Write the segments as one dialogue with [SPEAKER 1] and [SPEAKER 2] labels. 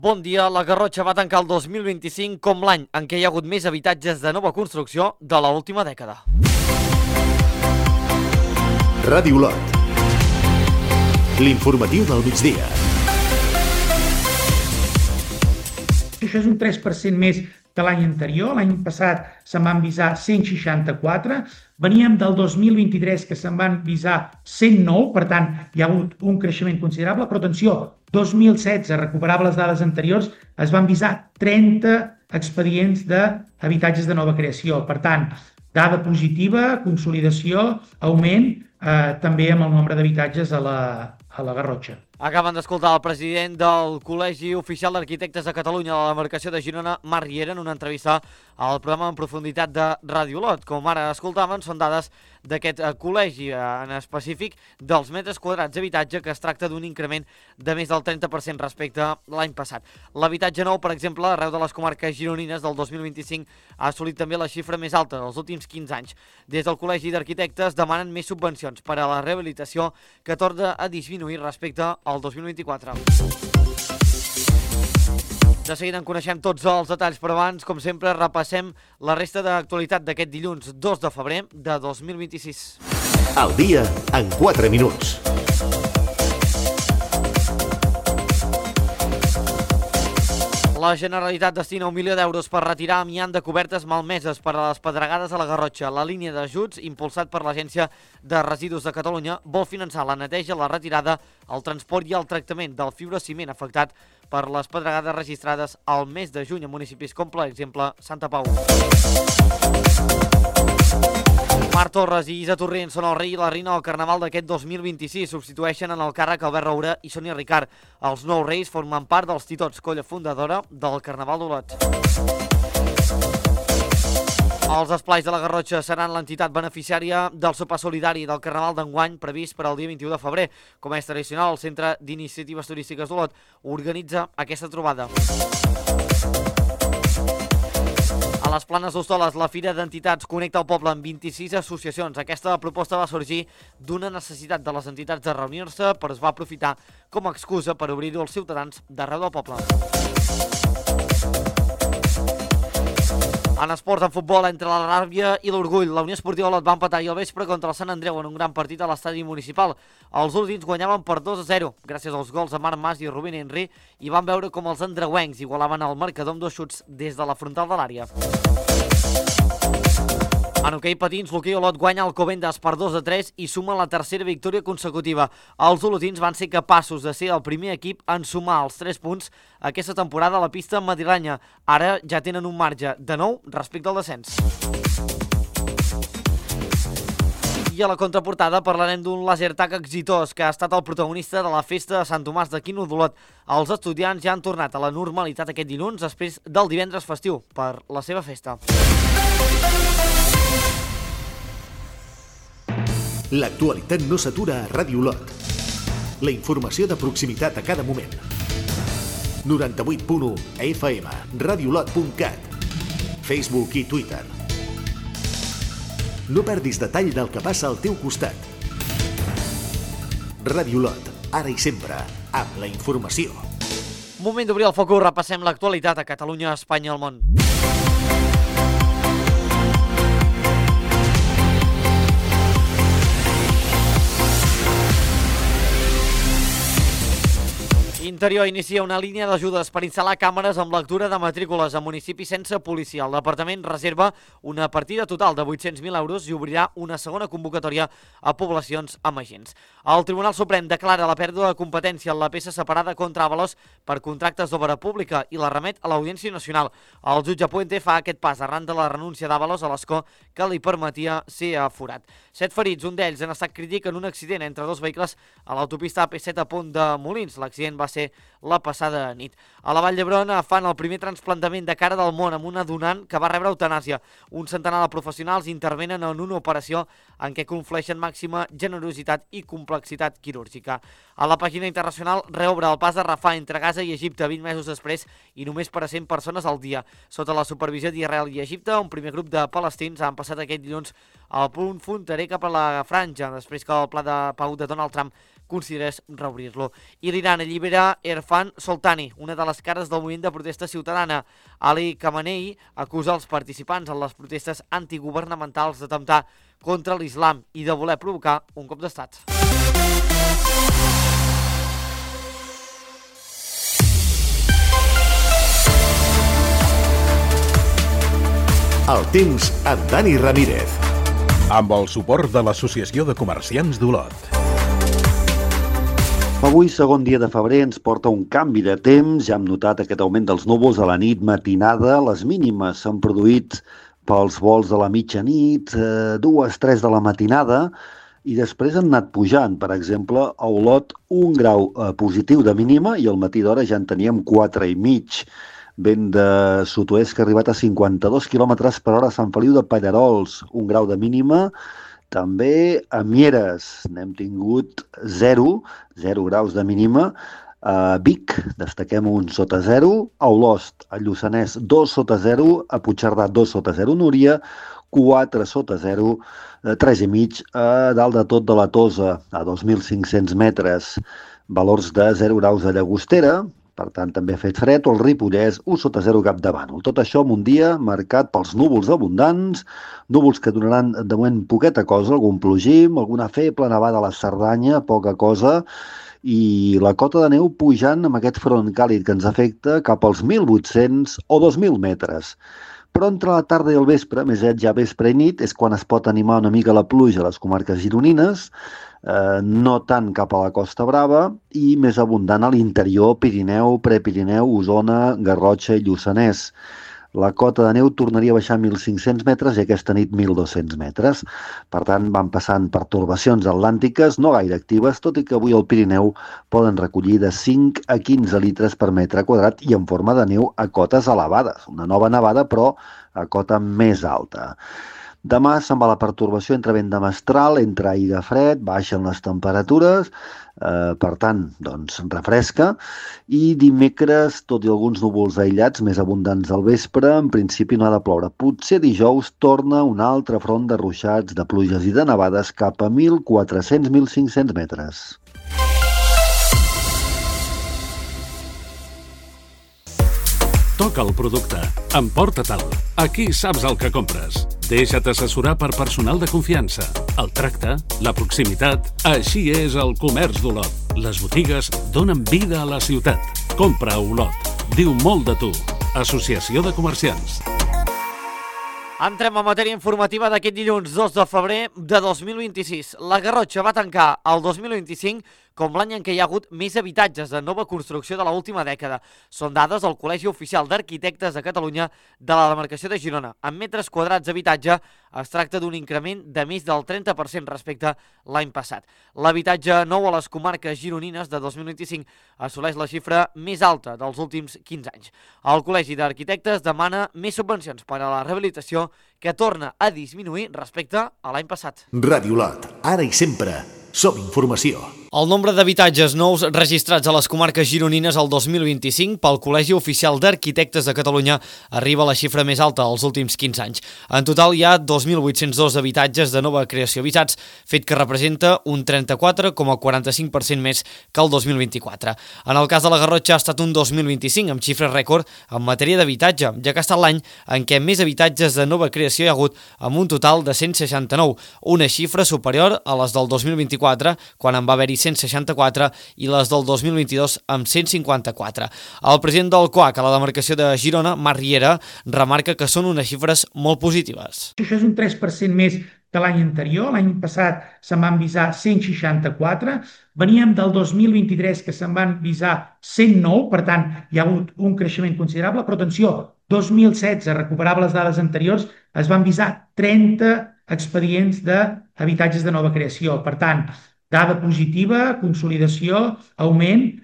[SPEAKER 1] Bon dia, la Garrotxa va tancar el 2025 com l'any en què hi ha hagut més habitatges de nova construcció de l'última dècada.
[SPEAKER 2] Ràdio Olot, l'informatiu del migdia.
[SPEAKER 3] Això és un 3% més que l'any anterior. L'any passat se'n van visar 164. Veníem del 2023 que se'n van visar 109, per tant, hi ha hagut un creixement considerable. Però atenció, 2016, recuperava les dades anteriors, es van visar 30 expedients d'habitatges de nova creació. Per tant, dada positiva, consolidació, augment, també amb el nombre d'habitatges a la Garrotxa.
[SPEAKER 1] Acaben d'escoltar el president del Col·legi Oficial d'Arquitectes de Catalunya de la demarcació de Girona, Marc Riera, en una entrevista al programa En Profunditat de Ràdio Olot. Com ara escoltaven, són dades d'aquest col·legi, en específic dels metres quadrats d'habitatge, que es tracta d'un increment de més del 30% respecte a l'any passat. L'habitatge nou, per exemple, arreu de les comarques gironines del 2025 ha assolit també la xifra més alta dels últims 15 anys. Des del Col·legi d'Arquitectes demanen més subvencions per a la rehabilitació, que torna a disminuir respecte al 2024. De seguida en coneixem tots els detalls, però abans, com sempre, repassem la resta d'actualitat d'aquest dilluns 2 de febrer de 2026.
[SPEAKER 2] El dia en 4 minuts.
[SPEAKER 1] La Generalitat destina 1 milió d'euros per retirar amiant de cobertes malmeses per a les pedregades a la Garrotxa. La línia d'ajuts, impulsat per l'Agència de Residus de Catalunya, vol finançar la neteja, la retirada, el transport i el tractament del fibrociment afectat per les pedregades registrades al mes de juny a municipis com, per exemple, Santa Pau. Marc Torres i Isa Torrent són el rei i la reina del Carnaval d'aquest 2026. Substitueixen en el càrrec Albert Roura i Sònia Ricard. Els nous reis formen part dels Titots, colla fundadora del Carnaval d'Olot. Els esplais de la Garrotxa seran l'entitat beneficiària del sopar solidari del Carnaval d'enguany, previst per al dia 21 de febrer. Com és tradicional, el Centre d'Iniciatives Turístiques d'Olot organitza aquesta trobada. A les Planes d'Hostoles, la Fira d'Entitats connecta el poble amb 26 associacions. Aquesta proposta va sorgir d'una necessitat de les entitats de reunir-se, però es va aprofitar com a excusa per obrir-ho als ciutadans d'arreu del poble. En esport, en futbol, entre la ràbia i l'orgull, la Unió Esportiva Olot va empatar ahir al vespre contra el Sant Andreu en un gran partit a l'estadi municipal. Els olotins guanyaven per 2-0, gràcies als gols de Marc Mas i Rubén Henry, i van veure com els andreuencs igualaven el marcador amb 2 xuts des de la frontal de l'àrea. En hoquei patins, l'hoquei Olot guanya el Covendas per 2-3 i suma la tercera victòria consecutiva. Els olotins van ser capaços de ser el primer equip en sumar els 3 punts aquesta temporada a la pista madrilenya. Ara ja tenen un marge de 9 respecte al descens. I a la contraportada parlarem d'un lasertag exitós que ha estat el protagonista de la festa de Sant Tomàs d'Aquino d'Olot. Els estudiants ja han tornat a la normalitat aquest dilluns després del divendres festiu per la seva festa.
[SPEAKER 2] L'actualitat no s'atura a Ràdio Olot. La informació de proximitat a cada moment. 98.1 FM, radiolot.cat, Facebook i Twitter. No perdis detall del que passa al teu costat. Ràdio Olot, ara i sempre, amb la informació.
[SPEAKER 1] Moment d'obrir el focus, repassem l'actualitat a Catalunya, Espanya i el món. Interior inicia una línia d'ajudes per instal·lar càmeres amb lectura de matrícules a municipis sense policia. El departament reserva una partida total de 800.000 euros i obrirà una segona convocatòria a poblacions amb agents. El Tribunal Suprem declara la pèrdua de competència en la peça separada contra Ábalos per contractes d'obra pública i la remet a l'Audiència Nacional. El jutge Puente fa aquest pas arran de la renúncia d'Ábalos a l'escó que li permetia ser aforat. 7 ferits, un d'ells en estat crític en un accident entre 2 vehicles a l'autopista AP7 a Pont de Molins. L'accident va ser la passada nit. A la Vall d'Hebron fan el primer trasplantament de cara del món amb una donant que va rebre eutanàsia. Un centenar de professionals intervenen en una operació en què conflueixen màxima generositat i complexitat quirúrgica. A la pàgina internacional reobre el pas de Rafah entre Gaza i Egipte 20 mesos després i només per a 100 persones al dia. Sota la supervisió d'Israel i Egipte, un primer grup de palestins han passat aquest dilluns al punt fronterer cap a la franja, després que el pla de pau de Donald Trump considerés reobrir-lo. I l'Iran allibera Irfan Soltani, una de les cares del moviment de protesta ciutadana. Ali Khamenei acusa els participants en les protestes antigubernamentals d'atemptar contra l'islam i de voler provocar un cop d'estat.
[SPEAKER 2] El temps amb Dani Ramírez.
[SPEAKER 4] Amb el suport de l'Associació de Comerciants d'Olot.
[SPEAKER 5] Avui, segon dia de febrer, ens porta un canvi de temps. Ja hem notat aquest augment dels núvols a la nit matinada. Les mínimes s'han produït pels volts de la mitjanit, 2-3 de la matinada, i després han anat pujant. Per exemple, a Olot, 1 grau positiu de mínima i al matí d'hora ja en teníem 4,5. Vent de sud-oest que ha arribat a 52 km per hora a Sant Feliu de Pallerols, 1 grau de mínima. També a Mieres n'hem tingut 0 graus de mínima. A Vic destaquem 1 sota 0. A Olost, a Lluçanès, 2 sota 0. A Puigcerdà, 2 sota 0. Núria, 4 sota 0. 3,5 a dalt de tot de la Tosa, a 2.500 metres. Valors de 0 graus a Llagostera. Per tant, també ha fet fred, o el Ripollès, 1 sota 0 Capdavànol. Tot això en un dia marcat pels núvols abundants, núvols que donaran de moment poqueta cosa, algun plogim, alguna feble nevada a la Cerdanya, poca cosa, i la cota de neu pujant amb aquest front càlid que ens afecta cap als 1.800 o 2.000 metres. Però entre la tarda i el vespre, més aviat ja vespre i nit, és quan es pot animar una mica la pluja a les comarques gironines, no tant cap a la Costa Brava i més abundant a l'interior, Pirineu, Prepirineu, Osona, Garrotxa i Lluçanès. La cota de neu tornaria a baixar 1.500 metres i aquesta nit 1.200 metres. Per tant, van passant pertorbacions atlàntiques, no gaire actives, tot i que avui al Pirineu poden recollir de 5 a 15 litres per metre quadrat i en forma de neu a cotes elevades. Una nova nevada, però a cota més alta. Demà se'n va la pertorbació entre vent de mestral, entre aire fred, baixen les temperatures, per tant, doncs, refresca, i dimecres, tot i alguns núvols aïllats més abundants al vespre, en principi no ha de ploure. Potser dijous torna un altre front de ruixats, de pluges i de nevades cap a 1.400-1.500 metres.
[SPEAKER 6] Toca el producte. Emporta-te'l. Aquí saps el que compres. Deixa't assessorar per personal de confiança. El tracte, la proximitat... Així és el comerç d'Olot. Les botigues donen vida a la ciutat. Compra a Olot. Diu molt de tu. Associació de Comerciants.
[SPEAKER 1] Entrem a matèria informativa d'aquest dilluns 2 de febrer de 2026. La Garrotxa va tancar el 2025 com l'any en què hi ha hagut més habitatges de nova construcció de l'última dècada. Són dades del Col·legi Oficial d'Arquitectes de Catalunya de la demarcació de Girona. En metres quadrats d'habitatge es tracta d'un increment de més del 30% respecte l'any passat. L'habitatge nou a les comarques gironines de 2025 assoleix la xifra més alta dels últims 15 anys. El Col·legi d'Arquitectes demana més subvencions per a la rehabilitació que torna a disminuir respecte a l'any passat.
[SPEAKER 2] Ràdio Olot, ara i sempre, som informació.
[SPEAKER 1] El nombre d'habitatges nous registrats a les comarques gironines el 2025 pel Col·legi Oficial d'Arquitectes de Catalunya arriba a la xifra més alta dels últims 15 anys. En total hi ha 2.802 habitatges de nova creació avisats, fet que representa un 34,45% més que el 2024. En el cas de la Garrotxa ha estat un 2025 amb xifra rècord en matèria d'habitatge, ja que ha estat l'any en què més habitatges de nova creació hi ha hagut, amb un total de 169, una xifra superior a les del 2024, quan en va haver-hi 164, i les del 2022 amb 154. El president del COAC a la demarcació de Girona, Marc Riera, remarca que són unes xifres molt positives.
[SPEAKER 3] Això és un 3% més que l'any anterior. L'any passat se'n van visar 164, veníem del 2023 que se'n van visar 109, per tant hi ha hagut un creixement considerable, però atenció, 2016, recuperava les dades anteriors, es van visar 30 expedients d'habitatges de nova creació. Per tant, dada positiva, consolidació, augment,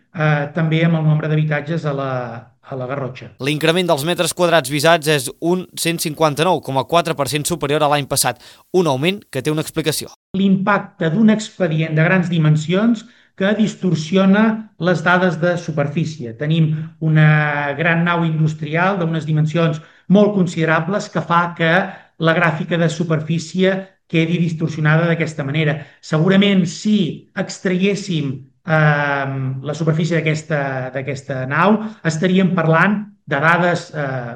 [SPEAKER 3] també amb el nombre d'habitatges a la Garrotxa.
[SPEAKER 1] L'increment dels metres quadrats visats és un 159,4% superior a l'any passat, un augment que té una explicació.
[SPEAKER 3] L'impacte d'un expedient de grans dimensions que distorsiona les dades de superfície. Tenim una gran nau industrial d'unes dimensions molt considerables que fa que la gràfica de superfície quedi distorsionada d'aquesta manera. Segurament si extraguéssim la superfície d'aquesta nau, estaríem parlant de dades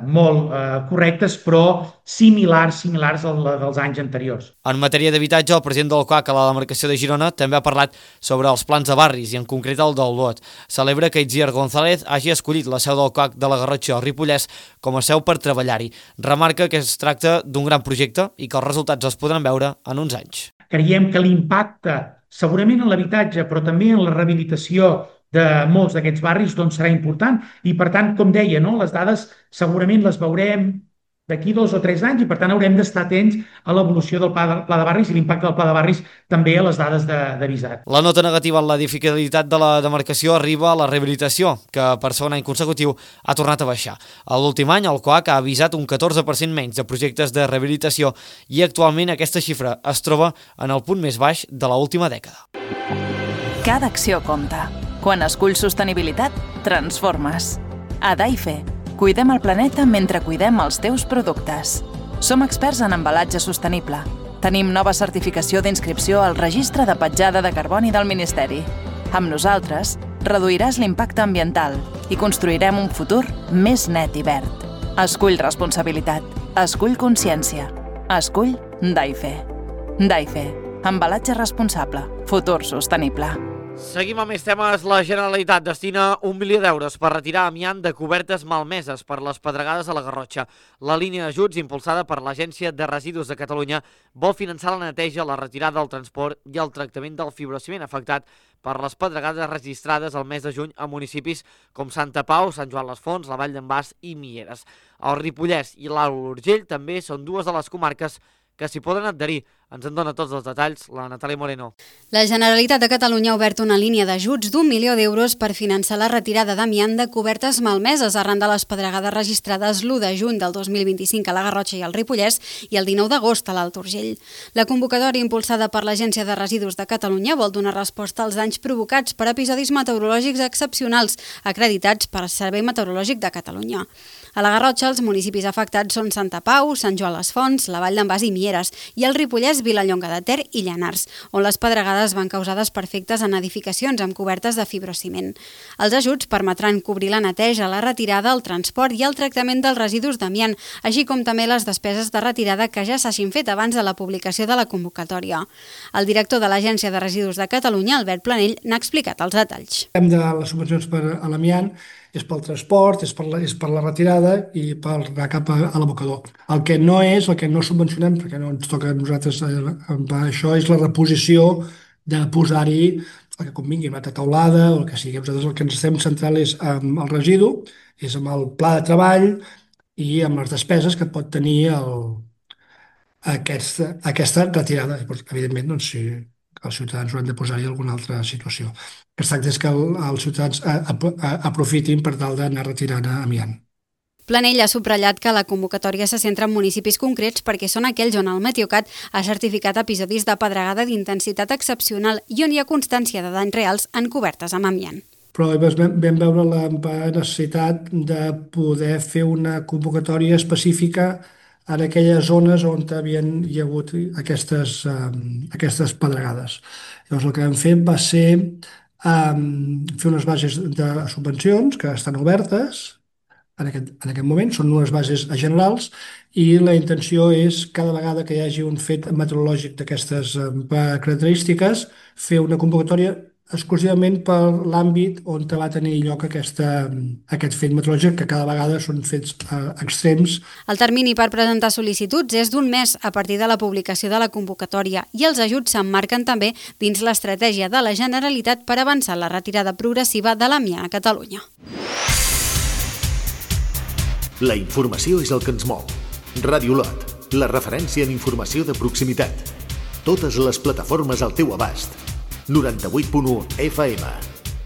[SPEAKER 3] molt correctes, però similars dels anys anteriors.
[SPEAKER 1] En matèria d'habitatge, el president del COAC a la demarcació de Girona també ha parlat sobre els plans de barris i en concret el d'Olot. Celebra que Itziar González hagi escollit la seu del COAC de la Garrotxa al Ripollès com a seu per treballar-hi. Remarca que es tracta d'un gran projecte i que els resultats es podran veure en uns anys.
[SPEAKER 3] Creiem que l'impacte segurament en l'habitatge, però també en la rehabilitació de molts d'aquests barris serà important i, per tant, com deia, les dades segurament les veurem d'aquí 2 o 3 anys i, per tant, haurem d'estar atents a l'evolució del pla de barris i l'impacte del pla de barris també a les dades de visat.
[SPEAKER 1] La nota negativa en la edificabilitat de la demarcació arriba a la rehabilitació, que per segon any consecutiu ha tornat a baixar. A l'últim any, el COAC ha avisat un 14% menys de projectes de rehabilitació i actualment aquesta xifra es troba en el punt més baix de l'última dècada.
[SPEAKER 7] Cada acció compta. Quan esculls sostenibilitat, transformes. A Daife, cuidem el planeta mentre cuidem els teus productes. Som experts en embalatge sostenible. Tenim nova certificació d'inscripció al Registre de Petjada de Carboni del Ministeri. Amb nosaltres, reduiràs l'impacte ambiental i construirem un futur més net i verd. Escull responsabilitat. Escull consciència. Escull Daife. Daife. Embalatge responsable. Futur sostenible.
[SPEAKER 1] Seguim amb més temes. La Generalitat destina 1 milió d'euros per retirar amiant de cobertes malmeses per les pedregades a la Garrotxa. La línia d'ajuts, impulsada per l'Agència de Residus de Catalunya, vol finançar la neteja, la retirada del transport i el tractament del fibrociment afectat per les pedregades registrades el mes de juny a municipis com Santa Pau, Sant Joan les Fonts, la Vall d'en Bas i Mieres. El Ripollès i l'Alt Urgell també són dues de les comarques que s'hi poden adherir. Ens en dona tots els detalls la Natàlia Moreno.
[SPEAKER 8] La Generalitat de Catalunya ha obert una línia d'ajuts d'1 milió d'euros per finançar la retirada d'amiant de cobertes malmeses arran de les pedregades registrades l'1 de juny del 2025 a la Garrotxa i al Ripollès i el 19 d'agost a l'Alt Urgell. La convocatòria impulsada per l'Agència de Residus de Catalunya vol donar resposta als danys provocats per episodis meteorològics excepcionals acreditats per al Servei Meteorològic de Catalunya. A la Garrotxa, els municipis afectats són Santa Pau, Sant Joan les Fonts, la Vall d'en Bas i Mieres, i el Ripollès, Vilallonga de Ter i Llanars, on les pedregades van causar desperfectes en edificacions amb cobertes de fibrociment. Els ajuts permetran cobrir la neteja, la retirada, el transport i el tractament dels residus d'amiant, així com també les despeses de retirada que ja s'hagin fet abans de la publicació de la convocatòria. El director de l'Agència de Residus de Catalunya, Albert Planell, n'ha explicat els detalls.
[SPEAKER 9] De les subvencions per a l'amiant és pel transport, és per la retirada i per anar cap a l'abocador. El que no subvencionem, perquè no ens toca a nosaltres això, és la reposició de posar-hi el que convingui, una altra teulada o el que sigui. Nosaltres el que ens estem centrant és amb el residu, és amb el pla de treball i amb les despeses que pot tenir aquesta retirada. Evidentment, si els ciutadans ho han de posar-hi alguna altra situació. El que es tracta és que els ciutadans aprofitin per tal d'anar retirant amiant.
[SPEAKER 8] Planell ha subratllat que la convocatòria se centra en municipis concrets perquè són aquells on el Meteocat ha certificat episodis de pedregada d'intensitat excepcional i on hi ha constància de danys reals en cobertes amb amiant.
[SPEAKER 9] Però vam veure la necessitat de poder fer una convocatòria específica en aquelles zones on hi ha hagut aquestes pedregades. Llavors el que vam fer va ser fer unes bases de subvencions que estan obertes en aquest moment, són unes bases generals i la intenció és cada vegada que hi hagi un fet meteorològic d'aquestes característiques fer una convocatòria exclusivament per l'àmbit on va tenir lloc aquest fet meteorològic, que cada vegada són fets extrems.
[SPEAKER 8] El termini per presentar sol·licituds és d'1 mes a partir de la publicació de la convocatòria i els ajuts s'emmarquen també dins l'estratègia de la Generalitat per avançar la retirada progressiva de l'amiant a Catalunya.
[SPEAKER 2] La informació és el que ens mou. Ràdio Lot, la referència en informació de proximitat. Totes les plataformes al teu abast. 98.1 FM,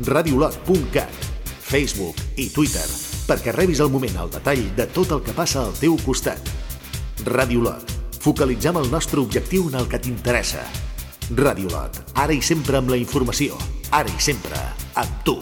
[SPEAKER 2] radiolot.cat, Facebook i Twitter, perquè rebis al moment el detall de tot el que passa al teu costat. Ràdio Lot, focalitzem el nostre objectiu en el que t'interessa. Ràdio Lot, ara i sempre amb la informació, ara i sempre amb tu.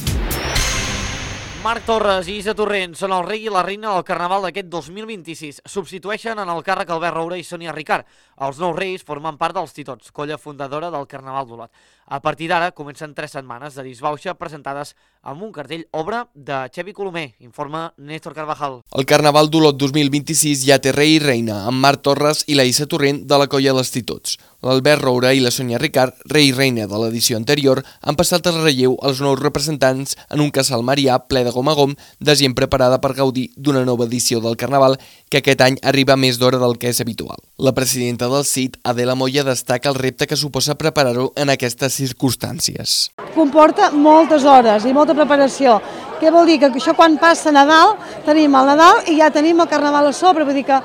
[SPEAKER 1] Marc Torres i Isa Torrent són el rei i la reina del Carnaval d'aquest 2026. Substitueixen en el càrrec Albert Roura i Sònia Ricard. Els nous reis formen part dels Titots, colla fundadora del Carnaval d'Olot. A partir d'ara comencen 3 setmanes de disbauxa presentades amb un cartell obra de Xevi Colomer, informa Néstor Carvajal.
[SPEAKER 10] El Carnaval d'Olot 2026 ja té rei i reina, amb Marc Torres i la Isa Torrent de la colla dels Titots. L'Albert Roura i la Sònia Ricard, rei i reina de l'edició anterior, han passat el relleu als nous representants en un casal marià ple de gom a gom, de gent preparada per gaudir d'una nova edició del Carnaval que aquest any arriba més d'hora del que és habitual. La presidenta del CIT, Adela Moya, destaca el repte que suposa preparar-ho en aquestes circumstàncies.
[SPEAKER 11] Comporta moltes hores i molta preparació. Què vol dir? Que això quan passa Nadal, tenim el Nadal i ja tenim el Carnaval a sobre, vull dir que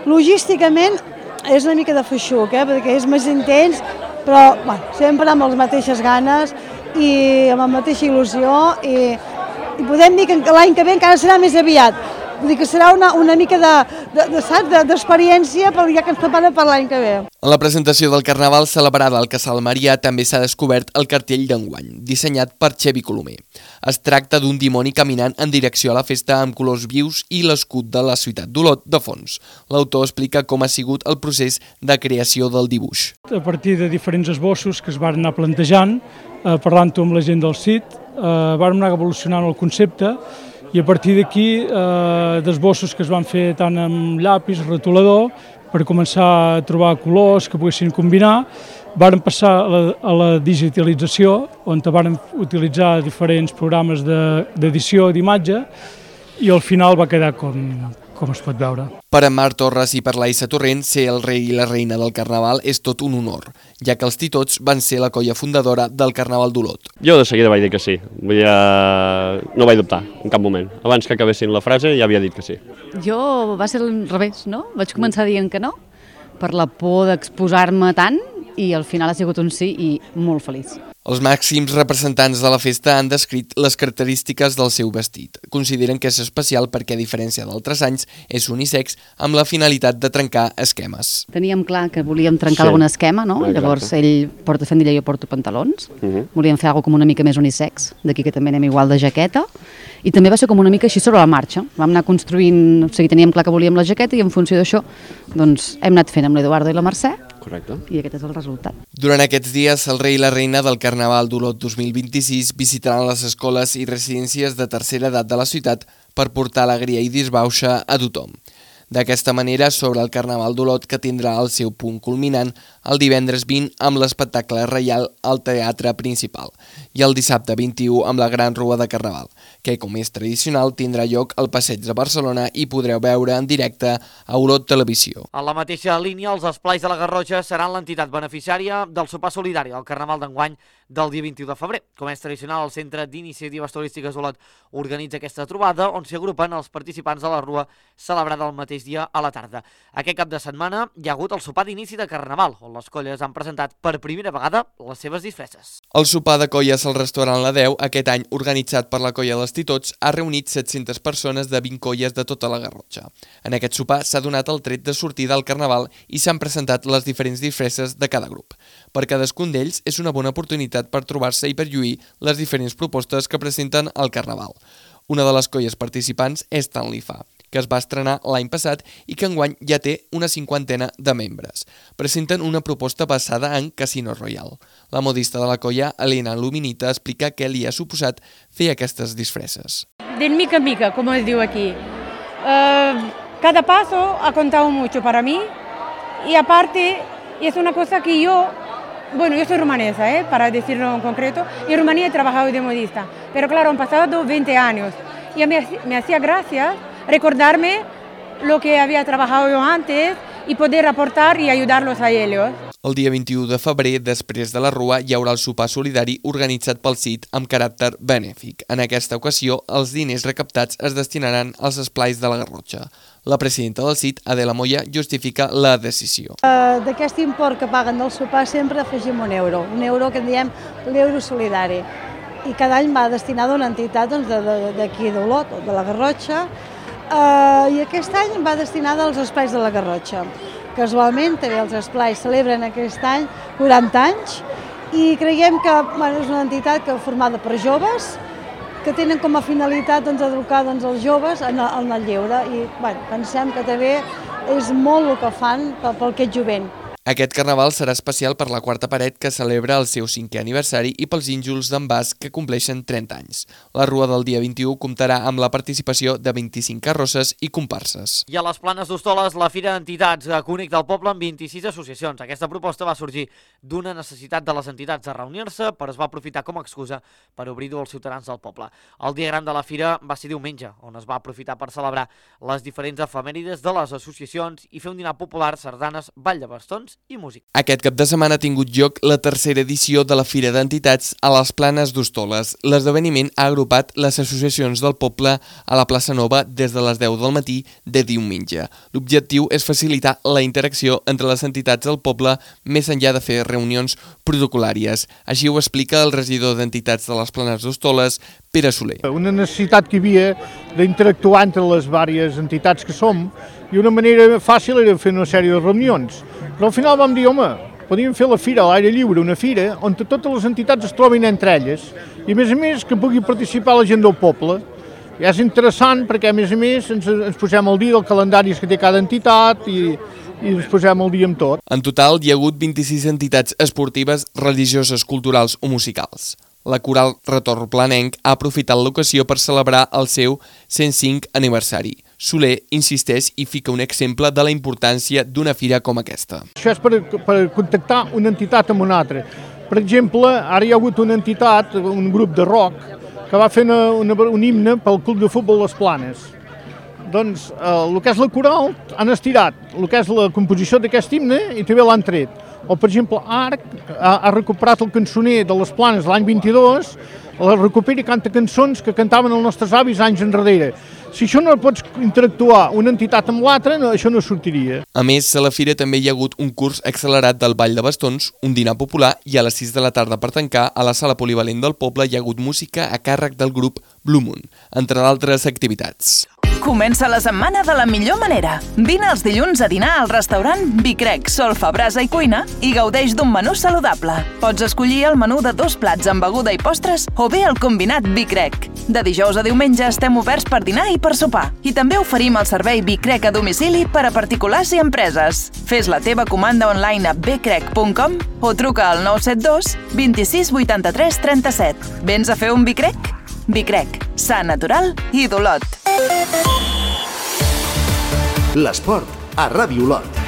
[SPEAKER 11] logísticament és una mica de feixuc, perquè és més intens, però sempre amb les mateixes ganes i amb la mateixa il·lusió i podem dir que l'any que ve encara serà més aviat. Vull dir que serà una mica d'experiència ja que ens prepara per l'any que ve.
[SPEAKER 10] En la presentació del Carnaval celebrada al Casal Marià també s'ha descobert el cartell d'enguany, dissenyat per Xevi Colomer. Es tracta d'un dimoni caminant en direcció a la festa amb colors vius i l'escut de la ciutat d'Olot de fons. L'autor explica com ha sigut el procés de creació del dibuix.
[SPEAKER 12] A partir de diferents esbossos que es van anar plantejant, parlant-ho amb la gent del CIT, vam anar evolucionant el concepte i a partir d'aquí d'esbossos que es van fer tant amb llapis, retolador, per començar a trobar colors que poguessin combinar, vàrem passar a la digitalització, on vàrem utilitzar diferents programes d'edició d'imatge i al final va quedar com es pot veure.
[SPEAKER 10] Per a Marc Torres i per la Isa Torrent, ser el rei i la reina del Carnaval és tot un honor, ja que els Titots van ser la colla fundadora del Carnaval d'Olot.
[SPEAKER 13] Jo de seguida vaig dir que sí, no vaig dubtar en cap moment. Abans que acabessin la frase ja havia dit que sí.
[SPEAKER 14] Jo va ser al revés, no? Vaig començar dient que no, per la por d'exposar-me tant, i al final ha sigut un sí i molt feliç.
[SPEAKER 10] Els màxims representants de la festa han descrit les característiques del seu vestit. Consideren que és especial perquè, a diferència d'altres anys, és unisex amb la finalitat de trencar esquemes.
[SPEAKER 14] Teníem clar que volíem trencar algun esquema, no? Llavors ell porta faldilla i jo porto pantalons. Volíem fer alguna cosa com una mica més unisex, d'aquí que també anem igual de jaqueta. I també va ser com una mica així sobre la marxa. Vam anar construint, o sigui, teníem clar que volíem la jaqueta i en funció d'això doncs, hem anat fent amb l'Eduardo i la Mercè.
[SPEAKER 13] Correcte.
[SPEAKER 14] I aquest és el resultat.
[SPEAKER 10] Durant aquests dies, el rei i la reina del Carnaval d'Olot 2026 visitaran les escoles i residències de tercera edat de la ciutat per portar alegria i disbauxa a tothom. D'aquesta manera, sobre el Carnaval d'Olot, que tindrà el seu punt culminant el divendres 20 amb l'espectacle reial al Teatre Principal i el dissabte 21 amb la Gran Rua de Carnaval, que, com és tradicional, tindrà lloc al Passeig de Barcelona i podreu veure en directe a Olot Televisió.
[SPEAKER 1] En la mateixa línia, els Esplais de la Garrotxa seran l'entitat beneficiària del sopar solidari del Carnaval d'enguany del dia 21 de febrer. Com és tradicional, el Centre d'Iniciatives Turístiques Olot organitza aquesta trobada on s'hi agrupen els participants de la Rua celebrada el mateix dia a la tarda. Aquest cap de setmana hi ha hagut el sopar d'inici de Carnaval, on les colles han presentat per primera vegada les seves disfresses.
[SPEAKER 10] El sopar de colles al restaurant La Deu, aquest any organitzat per la colla dels Titots, ha reunit 700 persones de 20 colles de tota la Garrotxa. En aquest sopar s'ha donat el tret de sortida al Carnaval i s'han presentat les diferents disfresses de cada grup. Per cadascun d'ells és una bona oportunitat per trobar-se i per lluir les diferents propostes que presenten al Carnaval. Una de les colles participants és Tant Li Fa, que es va estrenar l'any passat i que enguany ja té una 50 de membres. Presenten una proposta basada en Casino Royale. La modista de la colla, Elena Luminita, explica què li ha suposat fer aquestes disfresses.
[SPEAKER 15] De mica en mica, como es digo aquí. Cada paso ha contado mucho para mí y aparte es una cosa que yo soy rumanesa, para decirlo en concreto, y en Rumanía he trabajado de modista, pero claro, han pasado 20 años y me hacía gracia recordarme lo que había trabajado yo antes y poder aportar y ayudarlos a ellos.
[SPEAKER 10] El dia 21 de febrer, després de la Rua, hi haurà el sopar solidari organitzat pel CIT amb caràcter benèfic. En aquesta ocasió, els diners recaptats es destinaran als esplais de la Garrotxa. La presidenta del CIT, Adela Moya, justifica la decisió.
[SPEAKER 11] D'aquest import que paguen del sopar sempre afegim un euro que en diem l'euro solidari. I cada any va destinat a una entitat d'aquí d'Olot, de la Garrotxa, i aquest any va destinada als Esplais de la Garrotxa. Casualment, també els Esplais celebren aquest any 40 anys i creiem que és una entitat formada per joves que tenen com a finalitat educar els joves en el lleure i pensem que també és molt el que fan pel aquest jovent.
[SPEAKER 10] Aquest carnaval serà especial per la quarta paret que celebra el seu 5è aniversari i pels ínjols d'en Bas que compleixen 30 anys. La rua del dia 21 comptarà amb la participació de 25 carrosses i comparses.
[SPEAKER 1] I a les Planes d'Hostoles, la Fira d'Entitats connecta el poble amb 26 associacions. Aquesta proposta va sorgir d'una necessitat de les entitats de reunir-se, però es va aprofitar com a excusa per obrir-ho als ciutadans del poble. El dia gran de la Fira va ser diumenge, on es va aprofitar per celebrar les diferents efemèrides de les associacions i fer un dinar popular, sardanes, ball de bastons i música.
[SPEAKER 10] Aquest cap de setmana ha tingut lloc la tercera edició de la Fira d'Entitats a les Planes d'Hostoles. L'esdeveniment ha agrupat les associacions del poble a la plaça Nova des de les 10 del matí de diumenge. L'objectiu és facilitar la interacció entre les entitats del poble més enllà de fer reunions protocolàries. Així ho explica el regidor d'Entitats de les Planes d'Hostoles, Pere Soler.
[SPEAKER 16] Una necessitat que hi havia d'interactuar entre les diverses entitats que som i una manera fàcil era fer una sèrie de reunions. Però al final vam dir, home, podíem fer la fira a l'aire lliure, una fira on totes les entitats es trobin entre elles i a més que pugui participar la gent del poble. I és interessant perquè a més ens posem al dia del calendari que té cada entitat i ens posem al dia amb tot.
[SPEAKER 10] En total hi ha hagut 26 entitats esportives, religioses, culturals o musicals. La Coral Retorn Planenc ha aprofitat l'ocasió per celebrar el seu 105 aniversari. Soler insisteix i fica un exemple de la importància d'una fira com aquesta.
[SPEAKER 16] Això és per contactar una entitat amb una altra. Per exemple, ara hi ha hagut una entitat, un grup de rock, que va fer un himne pel Club de Futbol Les Planes. Doncs el que és la coral han estirat el que és la composició d'aquest himne i també l'han tret. O, per exemple, Arc ha recuperat el cançoner de Les Planes l'any 22, la recupera i canta cançons que cantaven els nostres avis anys enrere. Si això no pots interactuar una entitat amb l'altra, això no sortiria.
[SPEAKER 10] A més, a la fira també hi ha hagut un curs accelerat del ball de bastons, un dinar popular i a les 6 de la tarda per tancar, a la sala polivalent del poble hi ha hagut música a càrrec del grup Blue Moon, entre d'altres activitats.
[SPEAKER 7] Comença la setmana de la millor manera. Vine els dilluns a dinar al restaurant Bicrec, Solfa, Brasa i Cuina i gaudeix d'un menú saludable. Pots escollir el menú de 2 plats amb beguda i postres o bé el combinat Bicrec. De dijous a diumenge estem oberts per dinar i per sopar. I també oferim el servei Bicrec a domicili per a particulars i empreses. Fes la teva comanda online a bcrec.com o truca al 972 26 83 37. Vens a fer un Bicrec? Bicrec, sa, natural i d'Olot.
[SPEAKER 2] L'esport a Ràdio Olot.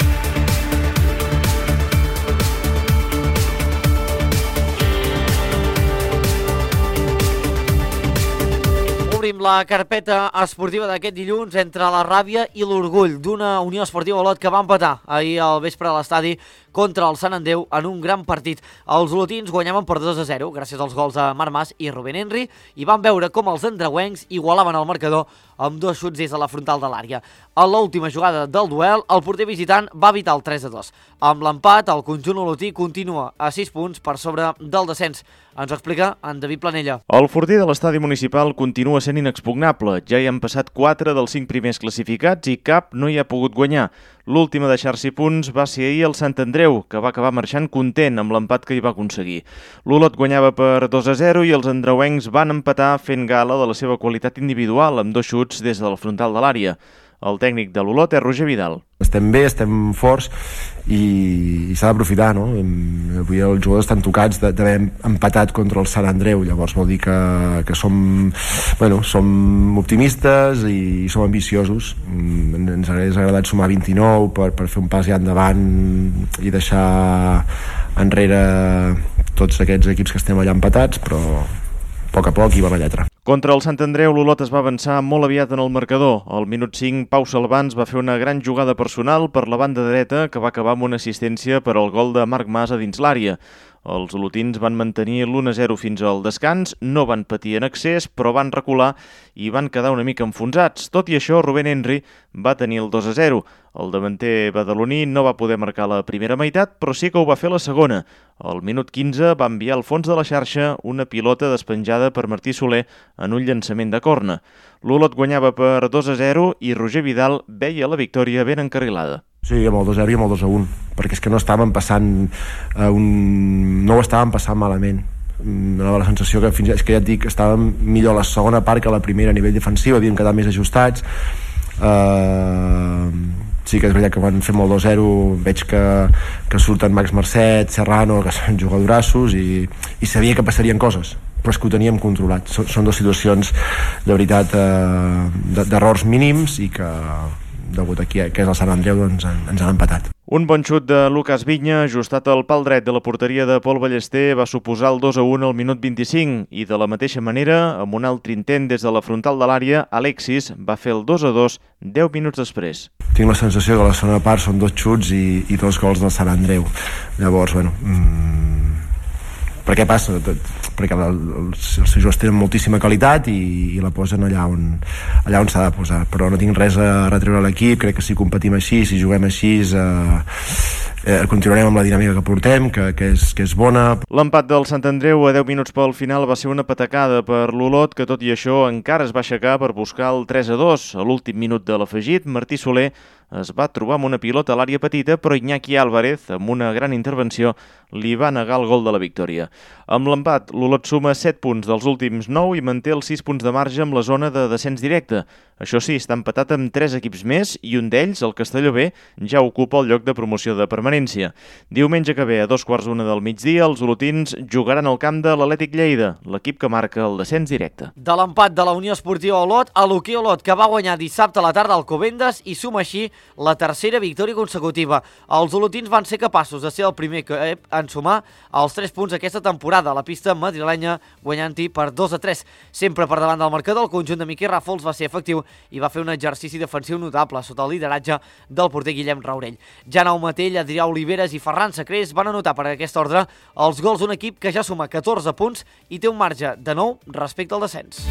[SPEAKER 1] Obrim la carpeta esportiva d'aquest dilluns entre la ràbia i l'orgull d'una Unió Esportiva Olot que va empatar ahir al vespre a l'estadi contra el Sant Andreu en un gran partit. Els olotins guanyaven per 2-0 gràcies als gols de Marc Mas i Rubén Henry i van veure com els andreuencs igualaven el marcador amb 2 xuts des de la frontal de l'àrea. A l'última jugada del duel, el porter visitant va evitar el 3-2. Amb l'empat, el conjunt olotí continua a 6 punts per sobre del descens. Ens ho explica en David Planella.
[SPEAKER 17] El fortí de l'estadi municipal continua sent inexpugnable. Ja hi han passat 4 dels 5 primers classificats i cap no hi ha pogut guanyar. L'últim a deixar-s'hi punts va ser ahir el Sant Andreu, que va acabar marxant content amb l'empat que hi va aconseguir. L'Olot guanyava per 2-0 i els andreuencs van empatar fent gala de la seva qualitat individual amb 2 xuts des del frontal de l'àrea. El tècnic de l'Olot és Roger Vidal.
[SPEAKER 18] Estem bé, estem forts i s'ha d'aprofitar, no? Avui els jugadors estan tocats d'haver empatat contra el Sant Andreu, llavors vol dir que som optimistes i som ambiciosos. Ens hauria agradat sumar 29 per fer un pas ja endavant i deixar enrere tots aquests equips que estem allà empatats, però a poc hi va la lletra.
[SPEAKER 17] Contra el Sant Andreu, l'Olot es va avançar molt aviat en el marcador. Al minut 5, Pau Salvans va fer una gran jugada personal per la banda dreta que va acabar amb una assistència per al gol de Marc Mas a dins l'àrea. Els olotins van mantenir l'1-0 fins al descans, no van patir en excés, però van recular i van quedar una mica enfonsats. Tot i això, Rubén Henry va tenir el 2-0. El davanter badaloní no va poder marcar la primera meitat, però sí que ho va fer la segona. Al minut 15 va enviar al fons de la xarxa una pilota despenjada per Martí Soler en un llançament de corna. L'Olot guanyava per 2-0 i Roger Vidal veia la victòria ben encarrilada.
[SPEAKER 18] Sí, amb el 2-0 i amb el 2-1, perquè és que no estàvem passant no ho estàvem passant malament. donava la sensació que fins és que ja et dic, estàvem millor a la segona part que a la primera a nivell defensiu, havíem quedat més ajustats. Sí que és veritat que van fer molt 2-0, veig que surten Max Marcet, Serrano, que són jugadorassos, i sabia que passarien coses, però és que ho teníem controlat. Són dues situacions de veritat d'errors mínims i que degut aquí que és el Sant Andreu doncs ens han empatat.
[SPEAKER 17] Un bon xut de Lucas Viña, ajustat al pal dret de la porteria de Pol Ballester, va suposar el 2-1 al minut 25 i de la mateixa manera, amb un altre intent des de la frontal de l'àrea, Alexis va fer el 2-2 10 minuts després.
[SPEAKER 18] Tinc la sensació que a la segona part són 2 xuts i 2 gols del Sant Andreu. Llavors, bueno, per què passa? Perquè els jugadors tenen moltíssima qualitat i la posen allà on s'ha de posar, però no tinc res a retreure a l'equip. Crec que si competim així, si juguem així, continuarem amb la dinàmica que portem, que és bona.
[SPEAKER 17] L'empat del Sant Andreu a 10 minuts pel final va ser una patacada per l'Olot, que tot i això encara es va aixecar per buscar el 3-2. A l'últim minut de l'afegit, Martí Soler es va trobar amb una pilota a l'àrea petita, però Iñaki Álvarez, amb una gran intervenció, li va negar el gol de la victòria. Amb l'empat, l'Olot suma 7 punts dels últims 9 i manté els 6 punts de marge amb la zona de descens directe. Això sí, està empatat amb 3 equips més i un d'ells, el Castelló B, ja ocupa el lloc de promoció de permanència. Diumenge que ve, a 2:15 del migdia, els olotins jugaran al camp de l'Atlètic Lleida, l'equip que marca el descens directe.
[SPEAKER 1] De l'empat de la Unió Esportiva Olot, a l'hoquei Olot, que va guanyar dissabte a la tarda al Alcobendas i suma així la tercera victòria consecutiva. Els olotins van ser capaços de ser el primer equip en sumar els 3 punts aquesta temporada a la pista madrilenya, guanyant-hi per 2-3. Sempre per davant del marcador, el conjunt de Miquel Ràfols va ser efectiu i va fer un exercici defensiu notable sota el lideratge del porter Guillem Raurell. Janau Matell, Adrià Oliveres i Ferran Sacrés van anotar per aquest ordre els gols d'un equip que ja suma 14 punts i té un marge de 9 respecte al descens.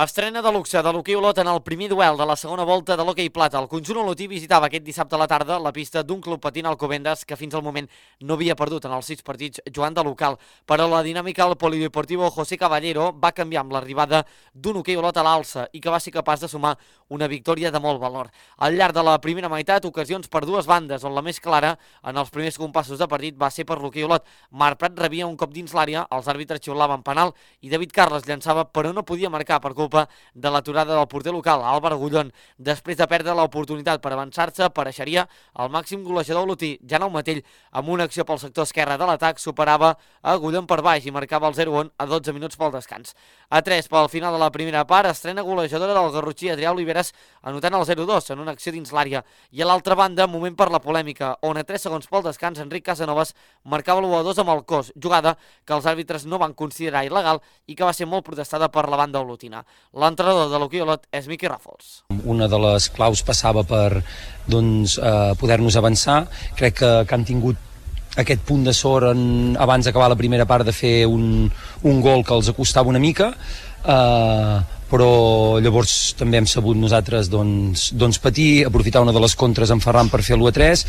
[SPEAKER 1] Estrena de luxe de l'hoquei Olot en el primer duel de la segona volta de l'hoquei plata. El conjunt olotí visitava aquest dissabte a la tarda la pista d'un club patint Alcobendas que fins al moment no havia perdut en els 6 partits jugant de local. Però la dinàmica al polideportivo José Caballero va canviar amb l'arribada d'un hoquei Olot a l'alça i que va ser capaç de sumar una victòria de molt valor. Al llarg de la primera meitat, ocasions per dues bandes, on la més clara en els primers compassos de partit va ser per l'hoquei Olot. Marc Prat rebia un cop dins l'àrea, els àrbitres xiulaven penal i David Carles llançava però no podia marcar per culpa de l'aturada del porter local, Álvaro Gullón. Després de perdre l'oportunitat per avançar-se, apareixeria el màxim golejador olotí, Janau Matell, amb una acció pel sector esquerre de l'atac, superava a Gullón per baix i marcava el 0-1 a 12 minuts pel descans. A 3 pel final de la primera part, estrena golejadora del garrotxí Adrià Oliveres, anotant el 0-2 en una acció dins l'àrea. I a l'altra banda, moment per la polèmica, on a 3 segons pel descans, Enric Casanovas marcava l'1-2 amb el cos, jugada que els àrbitres no van considerar il·legal i que va ser molt protestada per la banda olotina. L'entrenador de l'hoquei Olot és Miquel Ràfols.
[SPEAKER 19] Una de les claus passava per poder-nos avançar. Crec que han tingut aquest punt de sort abans d'acabar la primera part de fer un gol que els acostava una mica, però llavors també hem sabut nosaltres patir, aprofitar una de les contres en Ferran per fer l'1-3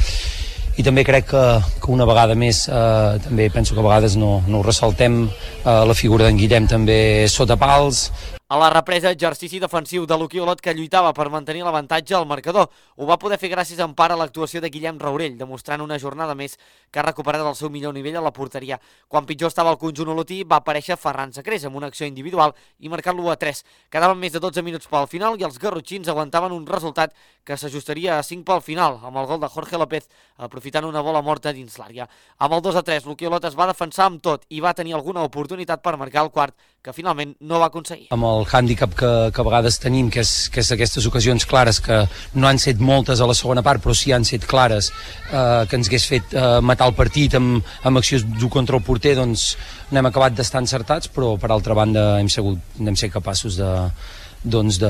[SPEAKER 19] i també crec que una vegada més, també penso que a vegades no ho ressaltem, la figura d'en Guillem també sota pals.
[SPEAKER 1] A la represa, exercici defensiu de l'hoquei Olot que lluitava per mantenir l'avantatge al marcador. Ho va poder fer gràcies en part a l'actuació de Guillem Raurell, demostrant una jornada més que ha recuperat el seu millor nivell a la porteria. Quan pitjor estava el conjunt olotí, va aparèixer Ferran Sacrés amb una acció individual i marcant l'1-3. Quedaven més de 12 minuts pel final i els garrotxins aguantaven un resultat que s'ajustaria a 5 pel final, amb el gol de Jorge López, aprofitant una bola morta dins l'àrea. Amb el 2-3, l'hoquei Olot es va defensar amb tot i va tenir alguna oportunitat per marcar el quart, que finalment no va aconseguir.
[SPEAKER 19] Amb el hàndicap que a vegades tenim, que és aquestes ocasions clares, que no han set moltes a la segona part, però sí han set clares, que ens hagués fet matar el partit amb accions dur contra el porter, doncs n'hem acabat d'estar encertats, però per altra banda hem set capaços de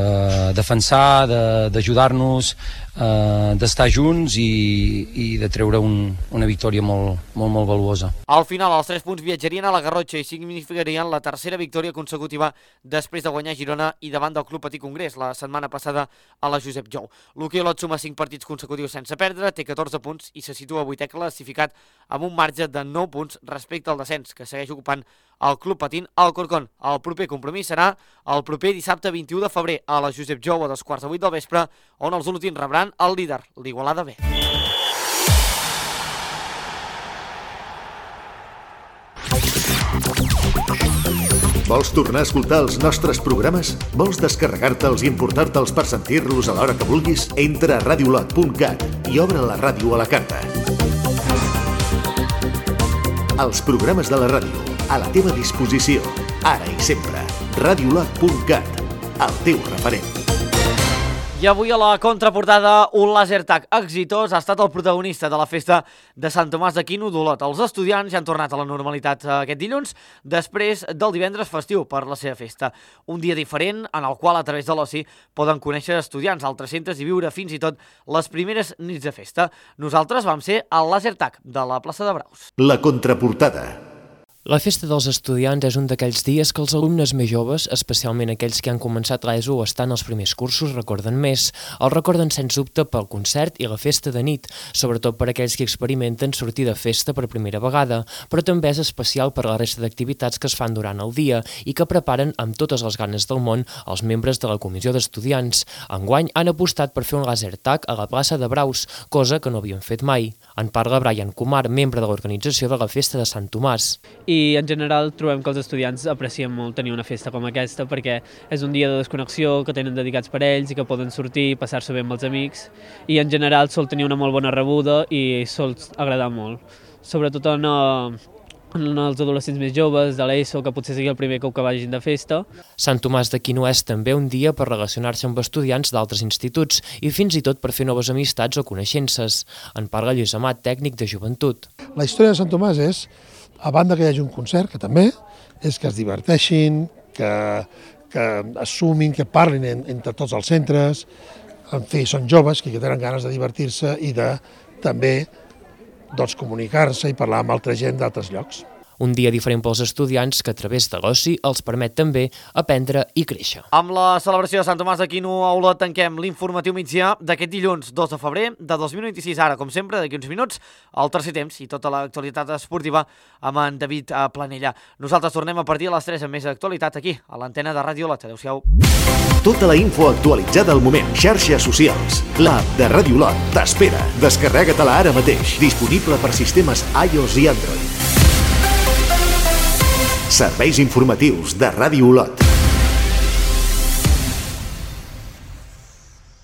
[SPEAKER 19] defensar, d'ajudar-nos, d'estar junts i de treure una victòria molt valuosa.
[SPEAKER 1] Al final, els 3 punts viatjarien a la Garrotxa i significarien la tercera victòria consecutiva després de guanyar Girona i davant del Club Patí Congrés la setmana passada a la Josep Jou. L'hoquei Olot suma 5 partits consecutius sense perdre, té 14 punts i se situa 8è classificat amb un marge de 9 punts respecte al descens, que segueix ocupant al Club Patín Alcorcón. El proper compromís serà el proper dissabte 21 de febrer a la Josep Jou a 7:15 del vespre, on els olotins rebran el líder, l'Igualada B.
[SPEAKER 2] Vols tornar a escoltar els nostres programes? Vols descarregar-te'ls i emportar-te'ls per sentir-los a l'hora que vulguis? Entra a radiolot.cat i obre la ràdio a la carta. Els programes de la ràdio, a la teva disposició, ara i sempre. Radiolot.cat, el teu referent.
[SPEAKER 1] I avui a la contraportada, un lasertag exitós ha estat el protagonista de la festa de Sant Tomàs d'Aquino d'Olot. Els estudiants ja han tornat a la normalitat aquest dilluns, després del divendres festiu per la seva festa. Un dia diferent en el qual, a través de l'oci, poden conèixer estudiants d'altres centres i viure fins i tot les primeres nits de festa. Nosaltres vam ser al lasertag de la plaça de Braus.
[SPEAKER 2] La contraportada.
[SPEAKER 20] La festa dels estudiants és un d'aquells dies que els alumnes més joves, especialment aquells que han començat l'ESO o estan als primers cursos, recorden més. El recorden sens dubte pel concert i la festa de nit, sobretot per aquells que experimenten sortir de festa per primera vegada, però també és especial per la resta d'activitats que es fan durant el dia i que preparen amb totes les ganes del món els membres de la comissió d'estudiants. Enguany han apostat per fer un lasertag a la plaça de Braus, cosa que no havien fet mai. En parla Brian Kumar, membre de l'organització de la festa de Sant Tomàs.
[SPEAKER 21] I en general trobem que els estudiants aprecien molt tenir una festa com aquesta perquè és un dia de desconnexió que tenen dedicats per ells i que poden sortir, passar-s'ho bé amb els amics i en general sol tenir una molt bona rebuda i sol agradar molt, sobretot en els adolescents més joves de l'ESO, que potser sigui el primer cop que vagin de festa.
[SPEAKER 20] Sant Tomàs d'Aquino és també un dia per relacionar-se amb estudiants d'altres instituts i fins i tot per fer noves amistats o coneixences. En parla Lluís Amat, tècnic de joventut.
[SPEAKER 22] La història de Sant Tomàs és, a banda que hi hagi un concert, que també, és que es diverteixin, que assumin, que parlin entre tots els centres, en fi, són joves que tenen ganes de divertir-se i de també comunicar-se i parlar amb altra gent d'altres llocs.
[SPEAKER 20] Un dia diferent pels estudiants que a través de l'oci els permet també aprendre i créixer.
[SPEAKER 1] Amb la celebració de Sant Tomàs d'Aquino a Olot tanquem l'informatiu migdia d'aquest dilluns 2 de febrer de 2026. Ara, com sempre, d'aquí uns minuts, el tercer temps i tota l'actualitat esportiva amb en David Planella. Nosaltres tornem a partir de les 3 amb més actualitat aquí, a l'antena de Ràdio Olot. Adéu-siau.
[SPEAKER 2] Tota la info actualitzada al moment. Xarxes socials. L'app de Ràdio Olot t'espera. Descarrega-te-la ara mateix. Disponible per sistemes iOS i Android. Serveis informatius de Ràdio Olot.